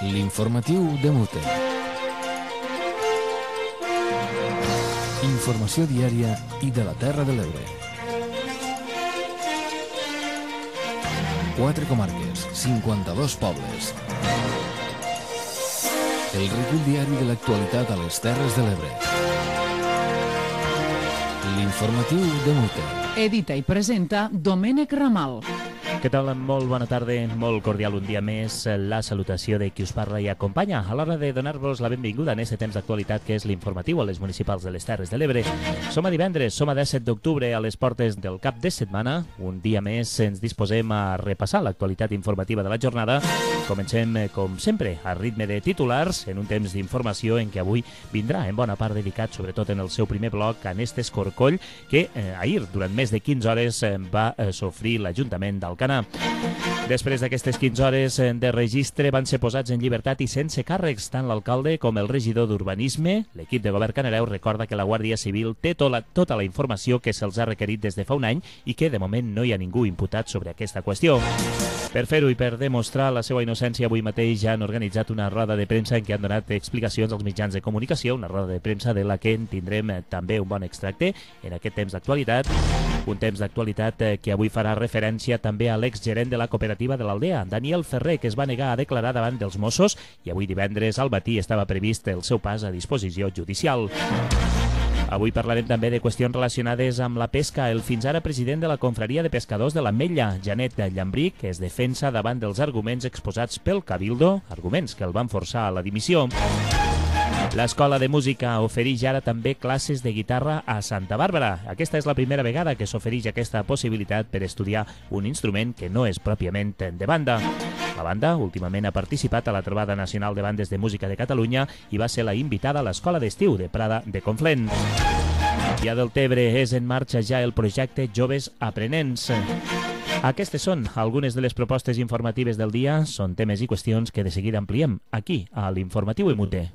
L'informatiu de Mute. Informació diària i de la Terra de l'Ebre. 4 comarques, 52 pobles. El recull diari de l'actualitat a les Terres de l'Ebre. L'informatiu de Mute. Edita i presenta Domènec Ramal. Què tal? Molt bona tarda, molt cordial un dia més. La salutació de qui us parla i acompanya a l'hora de donar-vos la benvinguda en aquest temps d'actualitat que és l'informatiu a les municipals de les Terres de l'Ebre. Som a divendres, som a 17 d'octubre a les portes del cap de setmana. Un dia més ens disposem a repassar l'actualitat informativa de la jornada. Comencem, com sempre, a ritme de titulars en un temps d'informació en què avui vindrà en bona part dedicat, sobretot en el seu primer bloc, a aquest escorcoll que ahir, durant més de 15 hores, va sofrir l'Ajuntament d'Alcanar. Després d'aquestes 15 hores de registre van ser posats en llibertat i sense càrrecs tant l'alcalde com el regidor d'Urbanisme. L'equip de govern canareu recorda que la Guàrdia Civil té tota la informació que se'ls ha requerit des de fa un any i que de moment no hi ha ningú imputat sobre aquesta qüestió. Per fer-ho i per demostrar la seva innocència, avui mateix ja han organitzat una roda de premsa en què han donat explicacions als mitjans de comunicació, una roda de premsa de la que en tindrem també un bon extracte en aquest temps d'actualitat. Un temps d'actualitat que avui farà referència també a l'exgerent de la cooperativa de l'Aldea, Daniel Ferrer, que es va negar a declarar davant dels Mossos i avui divendres al matí estava previst el seu pas a disposició judicial. Avui parlarem també de qüestions relacionades amb la pesca. El fins ara president de la Confraria de Pescadors de l'Ametlla, Janet Llambric, es defensa davant dels arguments exposats pel Cabildo, arguments que el van forçar a la dimissió. L'Escola de Música ofereix ara també classes de guitarra a Santa Bàrbara. Aquesta és la primera vegada que s'ofereix aquesta possibilitat per estudiar un instrument que no és pròpiament de banda. La banda últimament ha participat a la Trobada Nacional de Bandes de Música de Catalunya i va ser la invitada a l'Escola d'Estiu de Prada de Conflent. I a Deltebre és en marxa ja el projecte Joves Aprenents. Aquestes són algunes de les propostes informatives del dia. Són temes i qüestions que de seguida ampliem aquí a l'Informatiu Emute.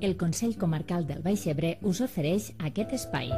El Consell Comarcal del Baix Ebre us ofereix aquest espai.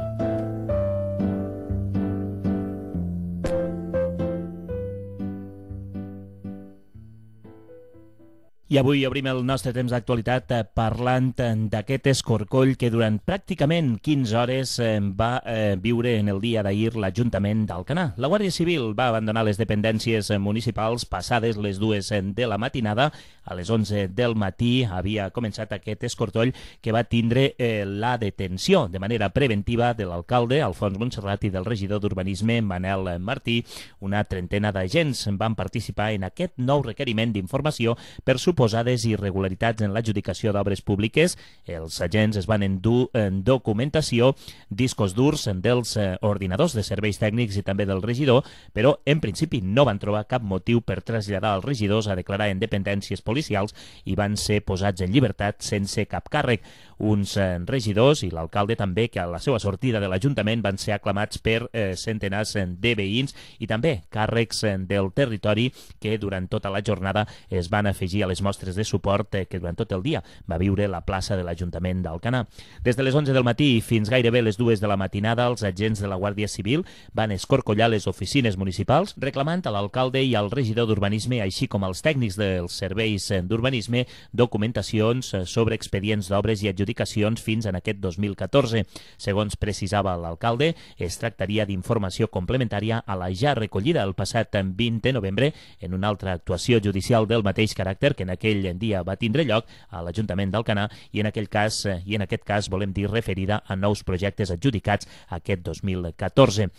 I avui obrim el nostre temps d'actualitat parlant d'aquest escorcoll que durant pràcticament 15 hores va viure en el dia d'ahir l'Ajuntament d'Alcanar. La Guàrdia Civil va abandonar les dependències municipals passades les 2 de la matinada. A les 11 del matí havia començat aquest escorcoll que va tindre la detenció de manera preventiva de l'alcalde, Alfons Montserrat, i del regidor d'Urbanisme, Manel Martí. Una trentena d'agents van participar en aquest nou requeriment d'informació per suposades irregularitats en l'adjudicació d'obres públiques. Els agents es van endur en documentació, discos durs dels ordinadors de serveis tècnics i també del regidor, però en principi no van trobar cap motiu per traslladar els regidors a declarar en dependències policials i van ser posats en llibertat sense cap càrrec. Uns regidors i l'alcalde també, que a la seva sortida de l'Ajuntament van ser aclamats per centenars de veïns i també càrrecs del territori que durant tota la jornada es van afegir a les mostres de suport que durant tot el dia va viure la plaça de l'Ajuntament d'Alcanar. Des de les 11 del matí fins gairebé les 2 de la matinada, els agents de la Guàrdia Civil van escorcollar les oficines municipals reclamant a l'alcalde i al regidor d'Urbanisme, així com als tècnics dels serveis d'Urbanisme, documentacions sobre expedients d'obres i adjudicacions fins en aquest 2014. Segons precisava l'alcalde, es tractaria d'informació complementària a la ja recollida el passat 20 de novembre en una altra actuació judicial del mateix caràcter que en aquell dia va tindre lloc a l'Ajuntament d'Alcanar i en aquest cas volem dir referida a nous projectes adjudicats aquest 2014.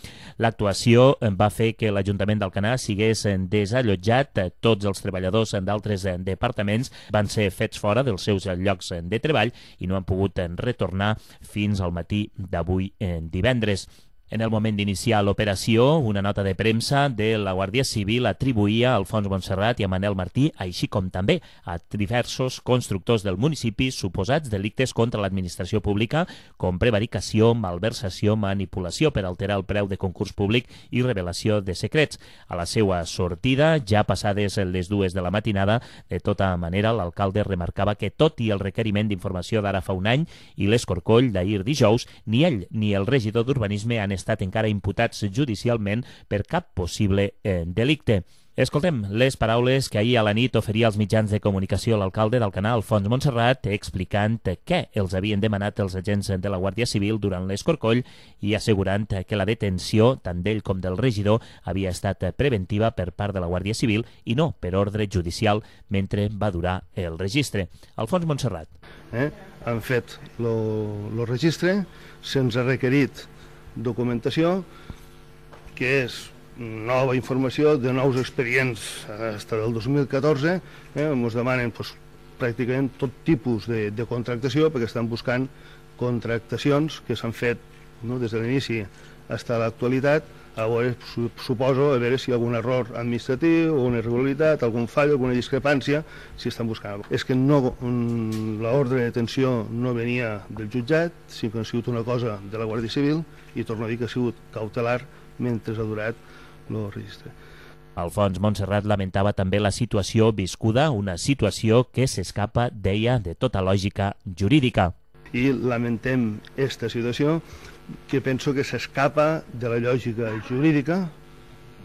L'actuació va fer que l'Ajuntament d'Alcanar sigués desallotjat. Tots els treballadors d'altres departaments van ser fets fora dels seus llocs de treball i no han pogut retornar fins al matí d'avui divendres. En el moment d'iniciar l'operació, una nota de premsa de la Guàrdia Civil atribuïa a Alfons Montserrat i a Manel Martí, així com també a diversos constructors del municipi, suposats delictes contra l'administració pública, com prevaricació, malversació, manipulació per alterar el preu de concurs públic i revelació de secrets. A la seva sortida, ja passades les 2 de la matinada, de tota manera, l'alcalde remarcava que tot i el requeriment d'informació d'ara fa un any i l'escorcoll d'ahir dijous, ni ell ni el regidor d'Urbanisme han estat encara imputats judicialment per cap possible delicte. Escoltem les paraules que ahir a la nit oferia als mitjans de comunicació l'alcalde d'Alcanar, Alfons Montserrat, explicant què els havien demanat els agents de la Guàrdia Civil durant l'escorcoll i assegurant que la detenció, tant d'ell com del regidor, havia estat preventiva per part de la Guàrdia Civil i no per ordre judicial mentre va durar el registre. Alfons Montserrat. Han fet el registre, se'ns ha requerit documentació, que és nova informació de nous expedients fins del 2014, ens demanen pràcticament tot tipus de contractació perquè estan buscant contractacions que s'han fet des de l'inici fins a l'actualitat, a veure, suposo, a veure si hi ha algun error administratiu, una irregularitat, algun fall, alguna discrepància, si estan buscant. És que l'ordre de detenció no venia del jutjat, sinó que ha sigut una cosa de la Guàrdia Civil i torno a dir que ha sigut cautelar mentre ha durat el registre. Alfons Montserrat lamentava també la situació viscuda, una situació que s'escapa, deia, de tota lògica jurídica. I lamentem aquesta situació que penso que s'escapa de la lògica jurídica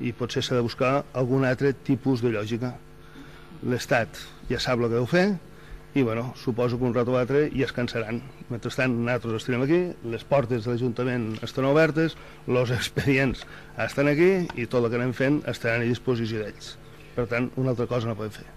i potser s'ha de buscar algun altre tipus de lògica. L'Estat ja sap el que deu fer i suposo que un rato o altre ja es cansaran. Mentrestant, nosaltres estarem aquí, les portes de l'Ajuntament estan obertes, els expedients estan aquí i tot el que anem fent estaran a disposició d'ells. Per tant, una altra cosa no podem fer.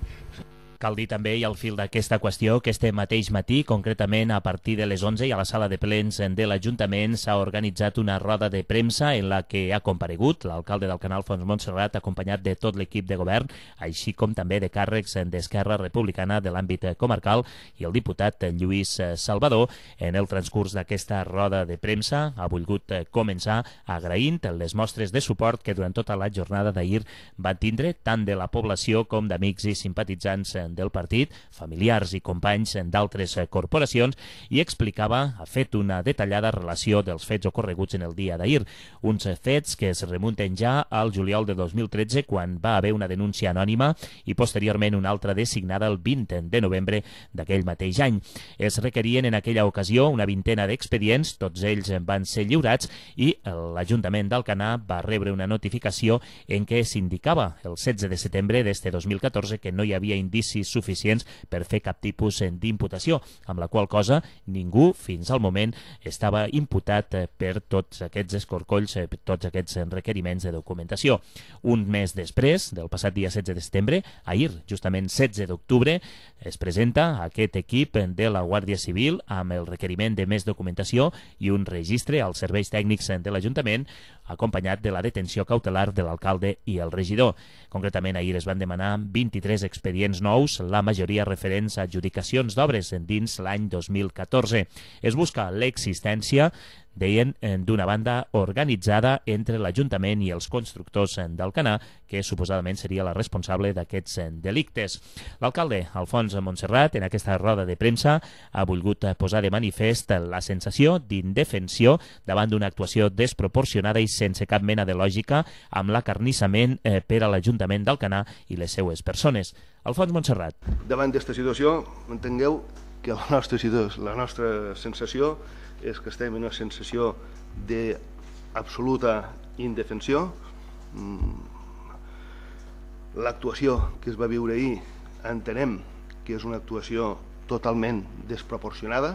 Cal dir també, i al fil d'aquesta qüestió, que este mateix matí, concretament a partir de les 11 i a la sala de plens de l'Ajuntament, s'ha organitzat una roda de premsa en la que ha comparegut l'alcalde d'Alcanar, Alfons Montserrat, acompanyat de tot l'equip de govern, així com també de càrrecs d'Esquerra Republicana de l'àmbit comarcal i el diputat Lluís Salvador. En el transcurs d'aquesta roda de premsa ha volgut començar agraint les mostres de suport que durant tota la jornada d'ahir van tindre tant de la població com d'amics i simpatitzants del partit, familiars i companys d'altres corporacions, i explicava, ha fet una detallada relació dels fets ocorreguts en el dia d'ahir. Uns fets que es remunten ja al juliol de 2013, quan va haver una denúncia anònima i posteriorment una altra designada el 20 de novembre d'aquell mateix any. Es requerien en aquella ocasió una vintena d'expedients, tots ells van ser lliurats i l'Ajuntament d'Alcanar va rebre una notificació en què s'indicava el 16 de setembre d'este 2014 que no hi havia indicis suficients per fer cap tipus d'imputació, amb la qual cosa ningú fins al moment estava imputat per tots aquests escorcolls, per tots aquests requeriments de documentació. Un mes després, del passat dia 16 de setembre, ahir, justament 16 d'octubre, es presenta aquest equip de la Guàrdia Civil amb el requeriment de més documentació i un registre als serveis tècnics de l'Ajuntament, acompanyat de la detenció cautelar de l'alcalde i el regidor. Concretament, ahir es van demanar 23 expedients nous, la majoria referents a adjudicacions d'obres dins l'any 2014. Es busca l'existència, deien, d'una banda organitzada entre l'Ajuntament i els constructors d'Alcanar, que suposadament seria la responsable d'aquests delictes. L'alcalde, Alfons Montserrat, en aquesta roda de premsa, ha volgut posar de manifest la sensació d'indefensió davant d'una actuació desproporcionada i sense cap mena de lògica amb l'acarnissament per a l'Ajuntament d'Alcanar i les seues persones. Alfons Montserrat. Davant d'aquesta situació, entengueu que la nostra sensació és que estem en una sensació d'absoluta indefensió. L'actuació que es va viure ahir entenem que és una actuació totalment desproporcionada.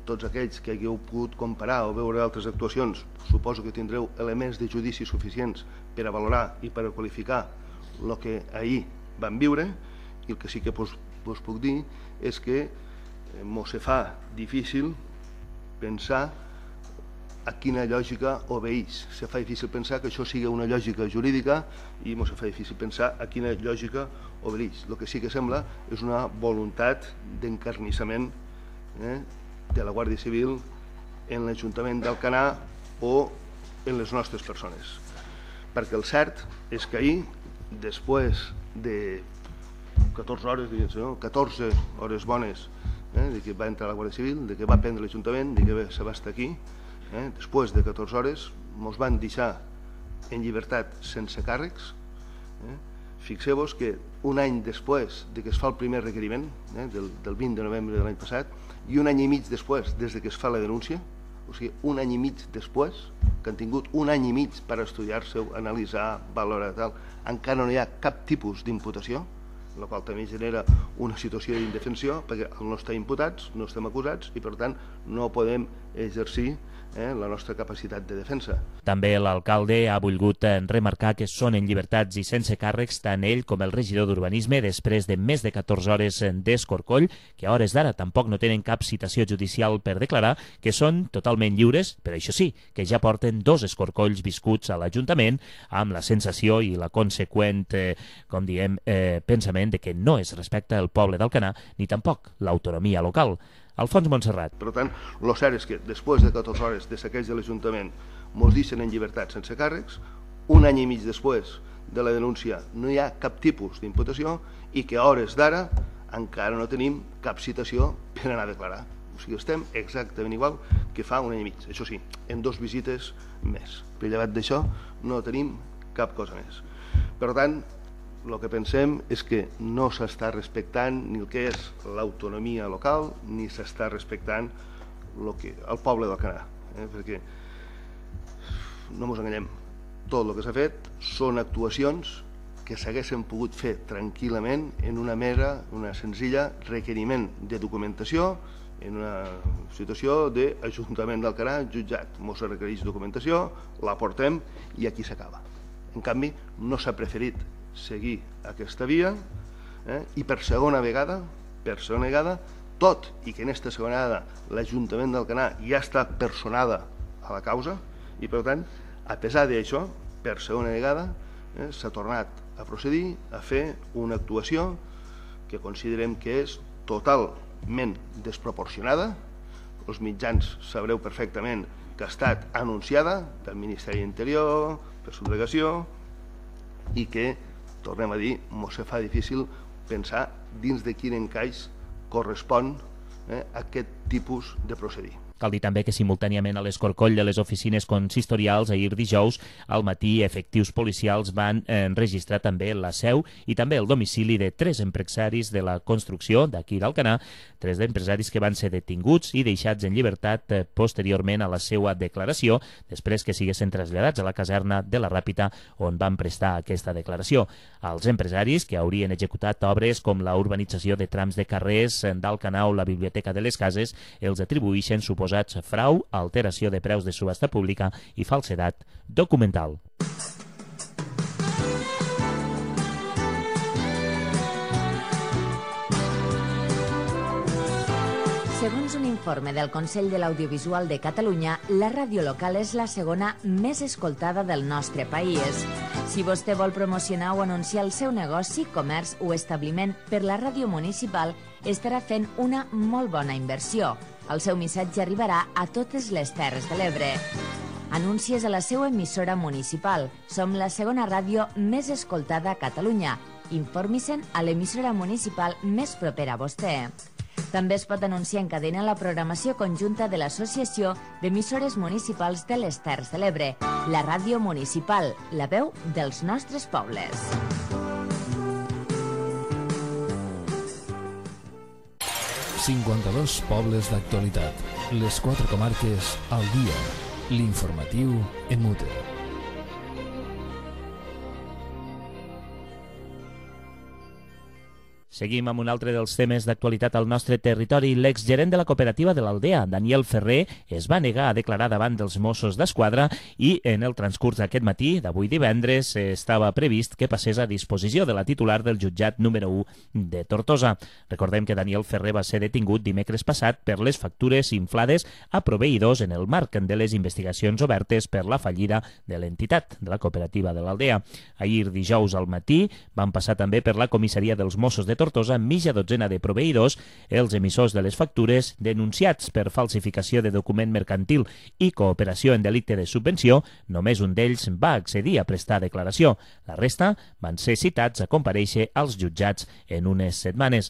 Tots aquells que hagueu pogut comparar o veure altres actuacions, suposo que tindreu elements de judici suficients per a valorar i per a qualificar el que ahir vam viure, i el que sí que us puc dir és que mos se fa difícil pensar a quina lògica obeeix. Se fa difícil pensar que això sigui una lògica jurídica i se fa difícil pensar a quina lògica obeeix. El que sí que sembla és una voluntat d'encarnissament de la Guàrdia Civil en l'Ajuntament d'Alcanar o en les nostres persones. Perquè el cert és que ahir, després de 14 hores bones de que va entrar la Guàrdia Civil, de que va prendre l'Ajuntament, de que se va estar aquí, després de 14 hores ens van deixar en llibertat sense càrrecs. Fixeu-vos que un any després de que es fa el primer requeriment, del 20 de novembre de l'any passat, i un any i mig després des que es fa la denúncia, o sigui, un any i mig després, que han tingut un any i mig per estudiar-se, analitzar, valorar, tal, encara no hi ha cap tipus d'imputació, la qual també genera una situació d'indefensió, perquè no estem imputats, no estem acusats, i per tant no podem exercir la nostra capacitat de defensa. També l'alcalde ha volgut remarcar que són en llibertats i sense càrrecs tant ell com el regidor d'Urbanisme després de més de 14 hores d'escorcoll, que a hores d'ara tampoc no tenen cap citació judicial per declarar, que són totalment lliures, però això sí, que ja porten 2 escorcolls viscuts a l'Ajuntament amb la sensació i la conseqüent, com diem, pensament de que no es respecta el poble d'Alcanar ni tampoc l'autonomia local. Alfons Montserrat. Per tant, el cert és que després de 14 hores de saqueig de l'Ajuntament ens deixen en llibertat sense càrrecs, un any i mig després de la denúncia no hi ha cap tipus d'imputació i que a hores d'ara encara no tenim cap citació per anar a declarar. O sigui, estem exactament igual que fa un any i mig. Això sí, en 2 visites més. Per llevat d'això no tenim cap cosa més. Per tant, el que pensem és que no s'està respectant ni el que és l'autonomia local ni s'està respectant el poble d'Alcanar, perquè no ens enganyem, tot el que s'ha fet són actuacions que s'haguessin pogut fer tranquil·lament en una senzilla requeriment de documentació en una situació d'Ajuntament d'Alcanar, jutjat. Ens requereix documentació, la portem i aquí s'acaba. En canvi, no s'ha preferit seguir aquesta via i per segona vegada, tot i que en aquesta segona vegada l'Ajuntament d'Alcanar ja està personada a la causa i per tant, a pesar d'això, per segona vegada s'ha tornat a procedir a fer una actuació que considerem que és totalment desproporcionada. Els mitjans sabreu perfectament que ha estat anunciada del Ministeri d'Interior, per subdelegació, i que, tornem a dir, ens fa difícil pensar dins de quin encaix correspon aquest tipus de procedir. Cal dir també que simultàniament a l'escorcoll de les oficines consistorials ahir dijous al matí efectius policials van enregistrar també la seu i també el domicili de 3 empresaris de la construcció d'aquí d'Alcanar, 3 empresaris que van ser detinguts i deixats en llibertat posteriorment a la seva declaració, després que siguessin traslladats a la caserna de la Ràpita on van prestar aquesta declaració. Els empresaris que haurien executat obres com la urbanització de trams de carrers d'Alcanar o la Biblioteca de les Cases els atribueixen suposats frau, alteració de preus de subhasta pública i falsedat documental. Segons un informe del Consell de l'Audiovisual de Catalunya, la ràdio local és la segona més escoltada del nostre país. Si vostè vol promocionar o anunciar el seu negoci, comerç o establiment per la ràdio municipal, estarà fent una molt bona inversió. El seu missatge arribarà a totes les Terres de l'Ebre. Anuncies a la seva emissora municipal. Som la segona ràdio més escoltada a Catalunya. Informi-se'n a l'emissora municipal més propera a vostè. També es pot anunciar en cadena la programació conjunta de l'Associació d'Emissores Municipals de les Terres de l'Ebre, la ràdio municipal, la veu dels nostres pobles. ...52 pobles d'actualitat, les 4 comarques al dia, l'informatiu en mute. Seguim amb un altre dels temes d'actualitat al nostre territori. L'exgerent de la cooperativa de l'Aldea, Daniel Ferrer, es va negar a declarar davant dels Mossos d'Esquadra i en el transcurs d'aquest matí, d'avui divendres, estava previst que passés a disposició de la titular del jutjat número 1 de Tortosa. Recordem que Daniel Ferrer va ser detingut dimecres passat per les factures inflades a proveïdors en el marc de les investigacions obertes per la fallida de l'entitat, de la cooperativa de l'Aldea. Ahir, dijous al matí, van passar també per la comissaria dels Mossos de Tortosa mitja dotzena de proveïdors, els emissors de les factures, denunciats per falsificació de document mercantil i cooperació en delicte de subvenció. Només un d'ells va accedir a prestar declaració. La resta van ser citats a comparèixer als jutjats en unes setmanes.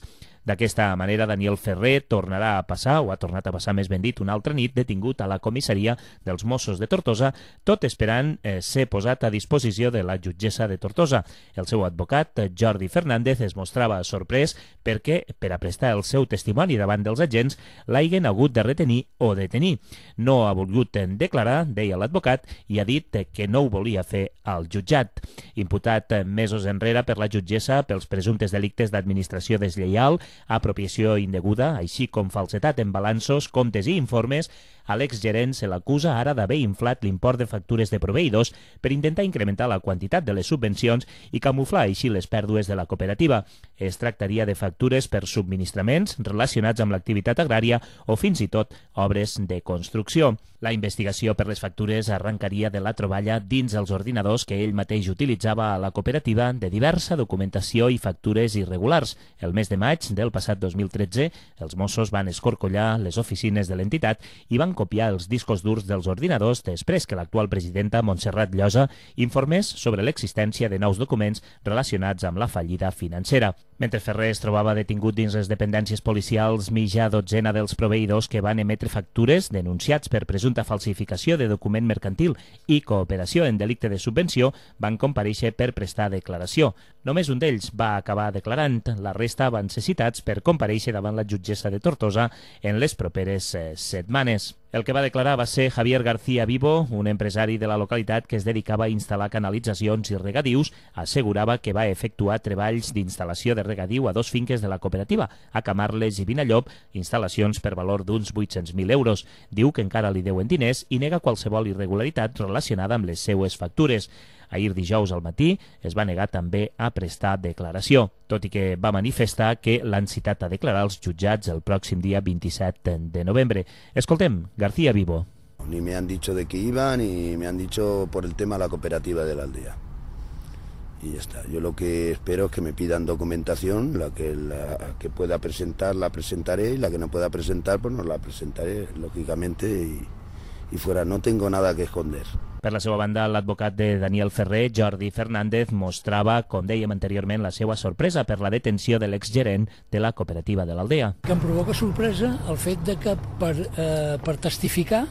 D'aquesta manera, Daniel Ferrer tornarà a passar, o ha tornat a passar més ben dit, una altra nit detingut a la comissaria dels Mossos de Tortosa, tot esperant ser posat a disposició de la jutgessa de Tortosa. El seu advocat, Jordi Fernández, es mostrava sorprès perquè, per a prestar el seu testimoni davant dels agents, l'hagin hagut de retenir o detenir. No ha volgut declarar, deia l'advocat, i ha dit que no ho volia fer al jutjat. Imputat mesos enrere per la jutgessa pels presumptes delictes d'administració deslleial, apropiació indeguda, així com falsetat en balanços, comptes i informes, a l'exgerent se l'acusa ara d'haver inflat l'import de factures de proveïdors per intentar incrementar la quantitat de les subvencions i camuflar així les pèrdues de la cooperativa. Es tractaria de factures per subministraments relacionats amb l'activitat agrària o fins i tot obres de construcció. La investigació per les factures arrencaria de la troballa dins els ordinadors que ell mateix utilitzava a la cooperativa de diversa documentació i factures irregulars. El mes de maig del passat 2013, els Mossos van escorcollar les oficines de l'entitat i van copiar els discos durs dels ordinadors després que l'actual presidenta Montserrat Llosa informés sobre l'existència de nous documents relacionats amb la fallida financera. Mentre Ferrer es trobava detingut dins les dependències policials, mitja dotzena dels proveïdors que van emetre factures denunciats per presumpta falsificació de document mercantil i cooperació en delicte de subvenció van comparèixer per prestar declaració. Només un d'ells va acabar declarant, la resta van ser citats per comparèixer davant la jutgessa de Tortosa en les properes setmanes. El que va declarar va ser Javier García Vivo, un empresari de la localitat que es dedicava a instal·lar canalitzacions i regadius. Assegurava que va efectuar treballs d'instal·lació de regadiu a 2 finques de la cooperativa, a Camarles i Vinallop, instal·lacions per valor d'uns 800.000 euros. Diu que encara li deuen diners i nega qualsevol irregularitat relacionada amb les seues factures. Ahir dijous al matí es va negar també a prestar declaració, tot i que va manifestar que l'han citat a declarar als jutjats el pròxim dia 27 de novembre. Escoltem García Vivo. Ni me han dicho de qué iba, ni me han dicho por el tema de la cooperativa de la aldea. Y ya está. Yo lo que espero es que me pidan documentación, la que pueda presentar la presentaré, y la que no pueda presentar pues no la presentaré, lógicamente, y fuera. No tengo nada que esconder. Per la seva banda, l'advocat de Daniel Ferrer, Jordi Fernández, mostrava, com dèiem anteriorment, la seva sorpresa per la detenció de l'exgerent de la cooperativa de l'Aldea. Que em provoca sorpresa el fet de que per testificar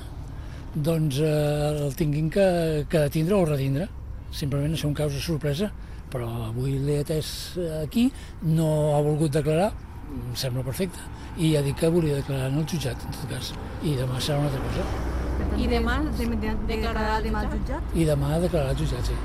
doncs, el tinguin que detindre o retindre. Simplement és un causa sorpresa, però avui l'he atès aquí, no ha volgut declarar, em sembla perfecte, i ha dit que volia declarar en el jutjat, en tot cas, i demà serà una altra cosa. I demà declararà al jutjat? I demà declararà al jutjat, sí.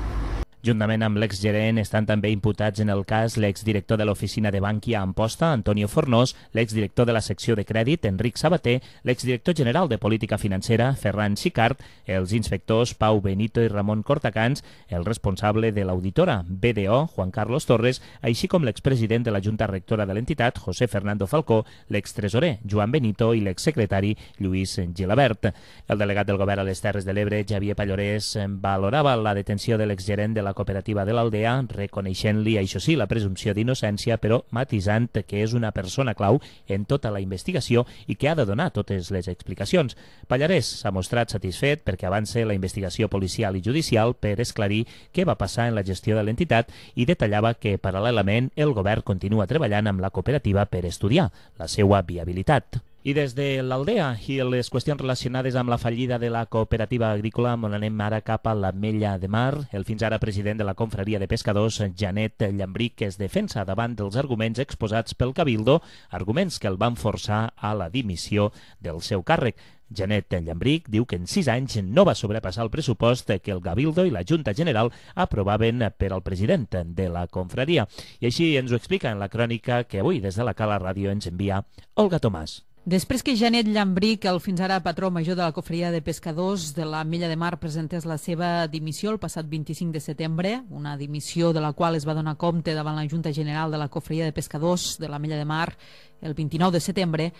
Juntament amb l'exgerent estan també imputats en el cas l'exdirector de l'oficina de Bankia a Amposta, Antonio Fornós, l'exdirector de la secció de crèdit, Enric Sabater, l'exdirector general de política financera, Ferran Xicart, els inspectors Pau Benito i Ramon Cortacans, el responsable de l'auditora BDO, Juan Carlos Torres, així com l'expresident de la Junta Rectora de l'entitat, José Fernando Falcó, l'extresorer, Joan Benito, i l'exsecretari, Lluís Gilabert. El delegat del govern a les Terres de l'Ebre, Xavier Pallorés, valorava la detenció de l'exgerent de la cooperativa de l'Aldea, reconeixent-li, això sí, la presumpció d'innocència, però matisant que és una persona clau en tota la investigació i que ha de donar totes les explicacions. Pallarès s'ha mostrat satisfet perquè avance la investigació policial i judicial per esclarir què va passar en la gestió de l'entitat i detallava que, paral·lelament, el govern continua treballant amb la cooperativa per estudiar la seva viabilitat. I des de l'Aldea i les qüestions relacionades amb la fallida de la cooperativa agrícola, on anem ara cap a l'Ametlla de Mar, el fins ara president de la confraria de pescadors, Janet Llambric, que es defensa davant dels arguments exposats pel Cabildo, arguments que el van forçar a la dimissió del seu càrrec. Janet Llambric diu que en 6 anys no va sobrepassar el pressupost que el Cabildo i la Junta General aprovaven per al president de la confraria. I així ens ho explica en la crònica que avui des de la Cala Ràdio ens envia Olga Tomàs. Després que Janet Llambric, el fins ara patró major de la confraria de pescadors de l'Ametlla de Mar, presentés la seva dimissió el passat 25 de setembre, una dimissió de la qual es va donar compte davant la Junta General de la confraria de pescadors de l'Ametlla de Mar el 29 de setembre,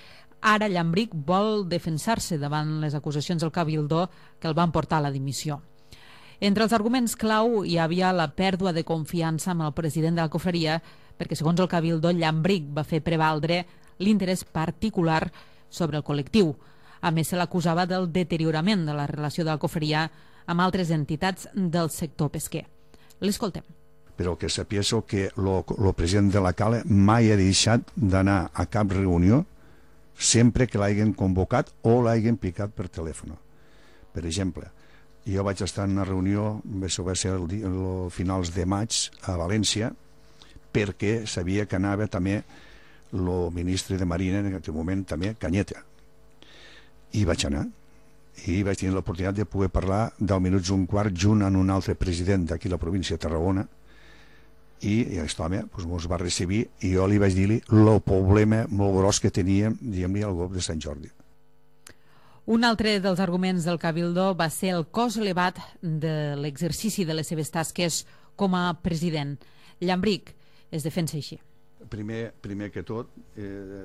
ara Llambric vol defensar-se davant les acusacions del Cabildo que el van portar a la dimissió. Entre els arguments clau hi havia la pèrdua de confiança amb el president de la confraria, perquè segons el Cabildo, Llambric va fer prevaldre l'interès particular sobre el col·lectiu. A més, se l'acusava del deteriorament de la relació de la confraria amb altres entitats del sector pesquer. L'escoltem. però que sapies que el president de la Cala mai ha deixat d'anar a cap reunió sempre que l'hagin convocat o l'hagin picat per telèfon. Per exemple, jo vaig estar en una reunió, això va ser el finals de maig a València, perquè sabia que anava també el ministre de Marina en aquell moment també, Cañete, i vaig anar i vaig tenir l'oportunitat de poder parlar 10 minuts un quart junt amb un altre president d'aquí la província de Tarragona, i aquest home ens va recibir i jo li vaig dir-li el problema molt gros que teníem, diguem-li, al golf de Sant Jordi. Un altre dels arguments del Cabildo va ser el cost elevat de l'exercici de les seves tasques com a president. Llambric es defensa així. Primer que tot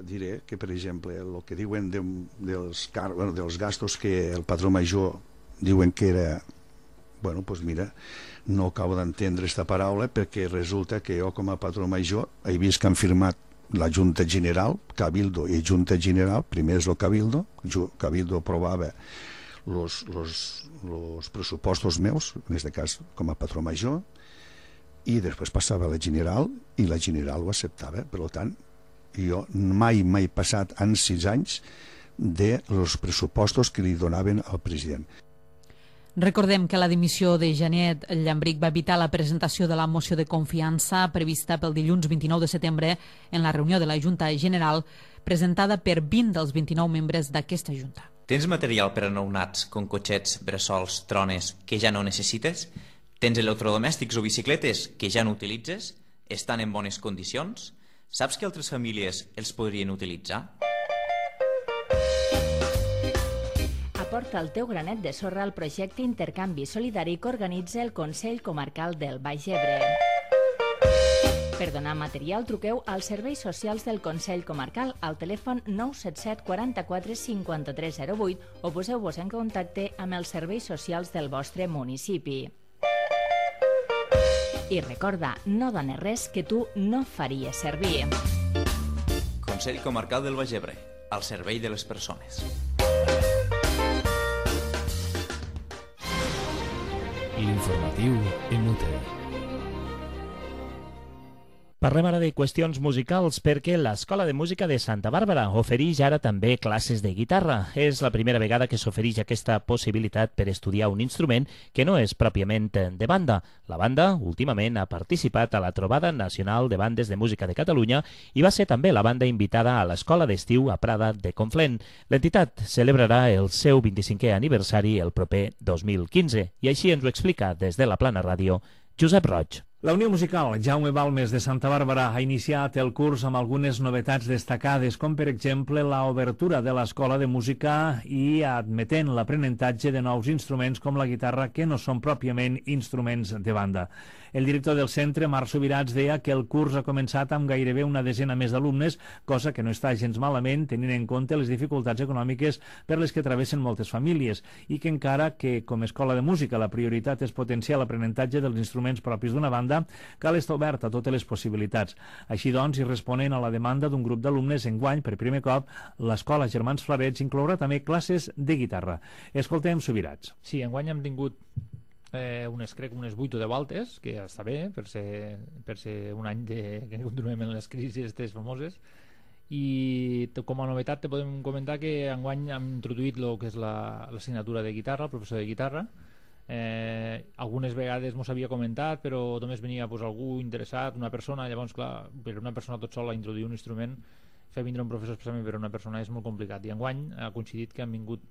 diré que, per exemple, el que diuen dels gastos que el patró major diuen que era, bueno, doncs mira, no acabo d'entendre aquesta paraula, perquè resulta que jo com a patró major he vist que han firmat la Junta General, Cabildo i Junta General. Primer és el Cabildo aprovava els pressupostos meus, en aquest cas com a patró major, i després passava a la General i la General ho acceptava. Per tant, jo mai he passat en 6 anys dels pressupostos que li donaven al president. Recordem que la dimissió de Janet Llambric va evitar la presentació de la moció de confiança prevista pel dilluns 29 de setembre en la reunió de la Junta General, presentada per 20 dels 29 membres d'aquesta Junta. Tens material per a nounats com cotxets, bressols, trones que ja no necessites? Tens electrodomèstics o bicicletes que ja no utilitzes? Estan en bones condicions? Saps que altres famílies els podrien utilitzar? Aporta el teu granet de sorra al projecte Intercanvi Solidari que organitza el Consell Comarcal del Baix Ebre. Per donar material, truqueu als serveis socials del Consell Comarcal al telèfon 977 44 53 08 o poseu-vos en contacte amb els serveis socials del vostre municipi. I recorda, no dones res que tu no faries servir. Consell Comarcal del Baix Ebre, al servei de les persones. L'informatiu en UTE. Parlem ara de qüestions musicals perquè l'Escola de Música de Santa Bàrbara ofereix ara també classes de guitarra. És la primera vegada que s'ofereix aquesta possibilitat per estudiar un instrument que no és pròpiament de banda. La banda últimament ha participat a la Trobada Nacional de Bandes de Música de Catalunya i va ser també la banda invitada a l'Escola d'Estiu a Prada de Conflent. L'entitat celebrarà el seu 25è aniversari el proper 2015 i així ens ho explica des de la Plana Ràdio Josep Roig. La Unió Musical Jaume Balmes de Santa Bàrbara ha iniciat el curs amb algunes novetats destacades, com per exemple l'obertura de l'Escola de Música i admetent l'aprenentatge de nous instruments com la guitarra que no són pròpiament instruments de banda. El director del centre, Marc Subirats, deia que el curs ha començat amb gairebé una desena més d'alumnes, cosa que no està gens malament tenint en compte les dificultats econòmiques per les que travessen moltes famílies i que encara que com a escola de música la prioritat és potenciar l'aprenentatge dels instruments propis d'una banda, cal estar obert a totes les possibilitats. Així doncs, i responent a la demanda d'un grup d'alumnes, enguany, per primer cop, l'Escola Germans Flarets inclourà també classes de guitarra. Escoltem Subirats. Sí, enguany hem tingut unes 8 o 10 voltes, que està bé per ser un any que continuem en les crisis aquestes famoses, i com a novetat te podem comentar que enguany hem introduït el que és l'assignatura de guitarra, el professor de guitarra. Algunes vegades m'ho havia comentat, però només venia algú interessat, una persona. Llavors, clar, per una persona tot sola introduir un instrument, fer vindre un professor especialment per una persona és molt complicat, i enguany ha coincidit que han vingut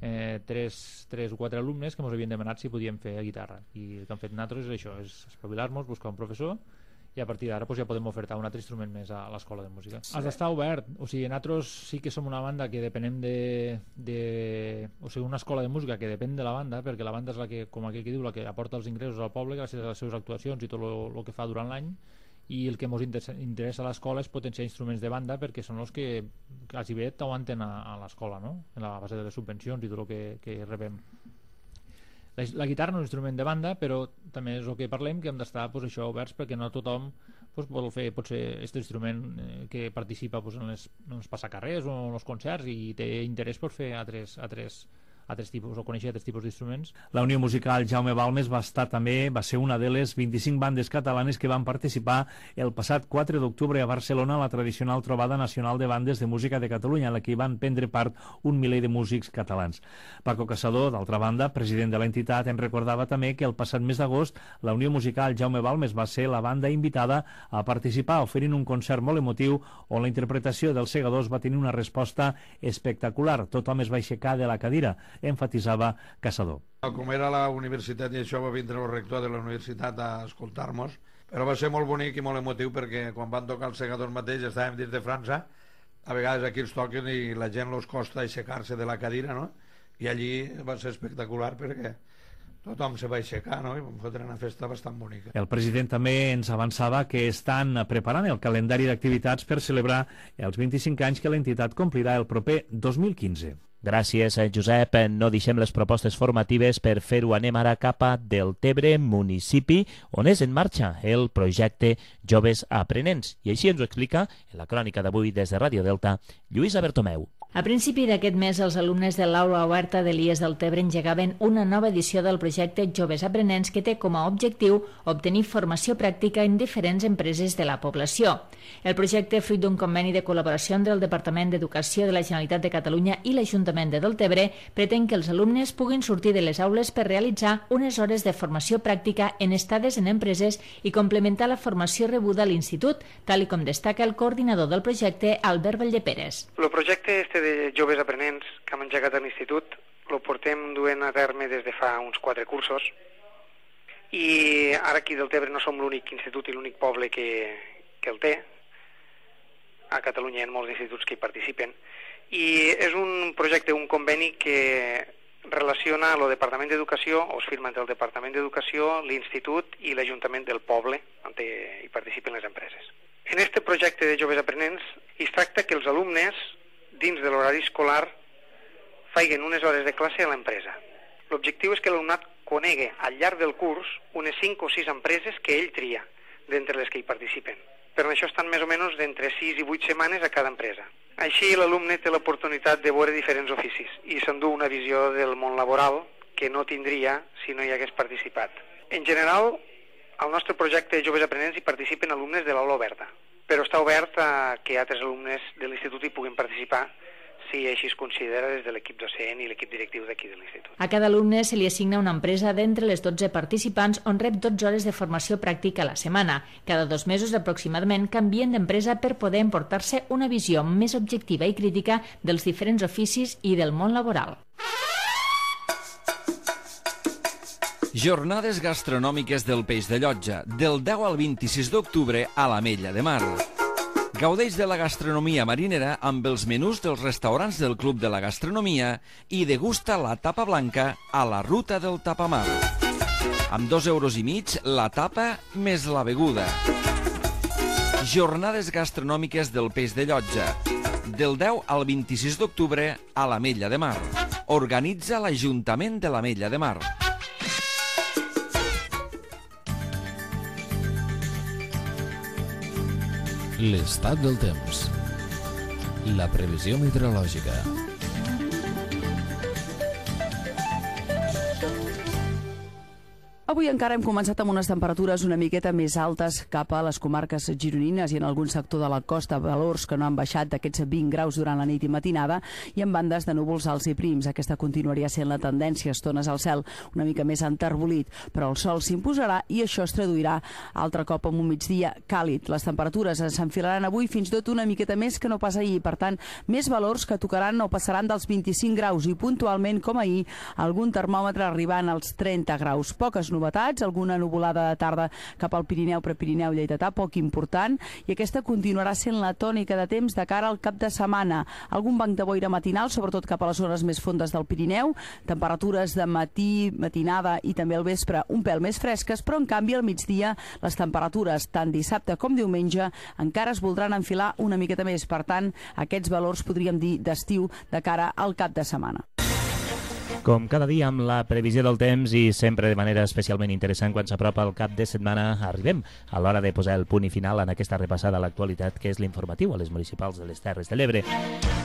3 o 4 alumnes que ens havien demanat si podíem fer guitarra, i el que han fet nosaltres és això, és espavilar-nos, buscar un professor, i a partir d'ara ja podem ofertar un altre instrument més a l'Escola de Música. Has d'estar obert, o sigui, nosaltres sí que som una banda que depenem o sigui, una escola de música que depèn de la banda, perquè la banda és la que, com aquell que diu, la que aporta els ingressos al poble gràcies a les seves actuacions i tot el que fa durant l'any, i el que ens interessa a l'escola és potenciar instruments de banda, perquè són els que quasi bé t'aguanten a l'escola, no? En la base de les subvencions i tot el que rebem. La guitarra no és un instrument de banda, però també és el que parlem, que hem d'estar això oberts, perquè no tothom vol fer potser aquest instrument que participa en els passacarrers o en els concerts i té interès per fer altres altres tipus, o conèixer altres tipus d'instruments. La Unió Musical Jaume Balmes va ser una de les 25 bandes catalanes que van participar el passat 4 d'octubre a Barcelona a la tradicional trobada nacional de bandes de música de Catalunya, en la que hi van prendre part un miler de músics catalans. Paco Caçador, d'altra banda, president de l'entitat, en recordava també que el passat mes d'agost la Unió Musical Jaume Balmes va ser la banda invitada a participar oferint un concert molt emotiu on la interpretació dels Segadors va tenir una resposta espectacular. Tothom es va aixecar de la cadira, enfatitzava Caçador. Com era la universitat i això va vindre el rector de la universitat a escoltar-nos, però va ser molt bonic i molt emotiu perquè quan van tocar els Segadors mateix estàvem dins de França, a vegades aquí els toquen i la gent els costa aixecar-se de la cadira, no? I allí va ser espectacular perquè tothom se va aixecar, no? I vam fer una festa bastant bonica. El president també ens avançava que estan preparant el calendari d'activitats per celebrar els 25 anys que l'entitat complirà el proper 2015. Gràcies, Josep. No deixem les propostes formatives per fer-ho. Anem ara cap a Deltebre, municipi, on és en marxa el projecte Joves Aprenents. I així ens ho explica, en la crònica d'avui des de Ràdio Delta, Lluïsa Bertomeu. A principi d'aquest mes, els alumnes de l'Aula Oberta de l'IES Deltebre engegaven una nova edició del projecte Joves Aprenents que té com a objectiu obtenir formació pràctica en diferents empreses de la població. El projecte, fruit d'un conveni de col·laboració entre el Departament d'Educació de la Generalitat de Catalunya i l'Ajuntament de Deltebre, pretén que els alumnes puguin sortir de les aules per realitzar unes hores de formació pràctica en estades en empreses i complementar la formació rebuda a l'institut, tal com destaca el coordinador del projecte, Albert Valldeperes. El projecte de Joves Aprenents que hem engegat a l'institut el portem duent a terme des de fa uns 4 cursos i ara aquí del Deltebre no som l'únic institut i l'únic poble que el té. A Catalunya hi ha molts instituts que hi participen i és un projecte, un conveni que relaciona el Departament d'Educació, o es firma entre el Departament d'Educació, l'Institut i l'Ajuntament del poble on hi participen les empreses. En aquest projecte de Joves Aprenents es tracta que els alumnes dins de l'horari escolar feien unes hores de classe a l'empresa. L'objectiu és que l'alumnat conegui al llarg del curs unes 5 o 6 empreses que ell tria d'entre les que hi participen. Per això estan més o menys d'entre 6 i 8 setmanes a cada empresa. Així l'alumne té l'oportunitat de veure diferents oficis i s'endú una visió del món laboral que no tindria si no hi hagués participat. En general, al nostre projecte de Joves Aprenents hi participen alumnes de l'Aula Oberta, però està obert a que altres alumnes de l'institut hi puguin participar si així es considera des de l'equip docent i l'equip directiu d'aquí de l'institut. A cada alumne se li assigna una empresa d'entre les 12 participants on rep 12 hores de formació pràctica a la setmana. Cada 2 mesos aproximadament canvien d'empresa per poder emportar-se una visió més objectiva i crítica dels diferents oficis i del món laboral. Jornades gastronòmiques del Peix de Llotja, del 10 al 26 d'octubre a l'Ametlla de Mar. Gaudeix de la gastronomia marinera amb els menús dels restaurants del Club de la Gastronomia i degusta la tapa blanca a la ruta del tapamar. Amb 2,5 € la tapa més la beguda. Jornades gastronòmiques del Peix de Llotja, del 10 al 26 d'octubre a l'Ametlla de Mar. Organitza l'Ajuntament de l'Ametlla de Mar. L'estat del temps. La previsió meteorològica. Avui encara hem començat amb unes temperatures una miqueta més altes cap a les comarques gironines i en algun sector de la costa, valors que no han baixat d'aquests 20 graus durant la nit i matinada i amb bandes de núvols alts i prims. Aquesta continuaria sent la tendència, estones al cel una mica més enterbolit, però el sol s'imposarà i això es traduirà altre cop en un migdia càlid. Les temperatures s'enfilaran avui fins tot una miqueta més que no pas ahir, per tant, més valors que tocaran o passaran dels 25 graus i puntualment, com ahir, algun termòmetre arribant als 30 graus. Poques novetats, alguna nuvolada de tarda cap al Pirineu, Prepirineu, Lleidatà, poc important, i aquesta continuarà sent la tònica de temps de cara al cap de setmana. Algun banc de boira matinal, sobretot cap a les zones més fondes del Pirineu, temperatures de matí, matinada i també al vespre un pèl més fresques, però en canvi al migdia les temperatures, tant dissabte com diumenge, encara es voldran enfilar una miqueta més. Per tant, aquests valors podríem dir d'estiu de cara al cap de setmana. Com cada dia amb la previsió del temps i sempre de manera especialment interessant quan s'apropa el cap de setmana, arribem a l'hora de posar el punt i final en aquesta repassada a l'actualitat que és l'informatiu a les municipals de les Terres de l'Ebre.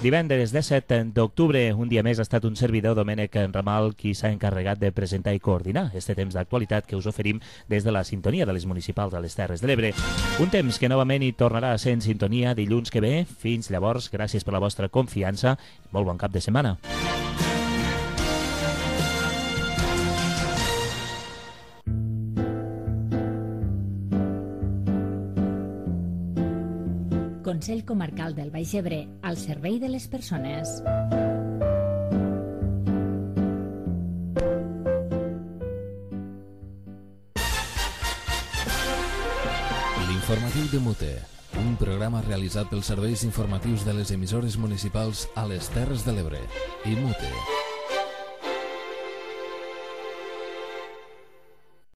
Divendres 17 d'octubre, un dia més ha estat un servidor, Domènec Ramal, qui s'ha encarregat de presentar i coordinar este temps d'actualitat que us oferim des de la sintonia de les municipals a les Terres de l'Ebre. Un temps que novament hi tornarà a ser en sintonia dilluns que ve. Fins llavors, gràcies per la vostra confiança i molt bon cap de setmana. Consell Comarcal del Baix Ebre, al servei de les persones. L'informatiu de Mute, un programa realitzat pels serveis informatius de les emissores municipals a les Terres de l'Ebre i Mute.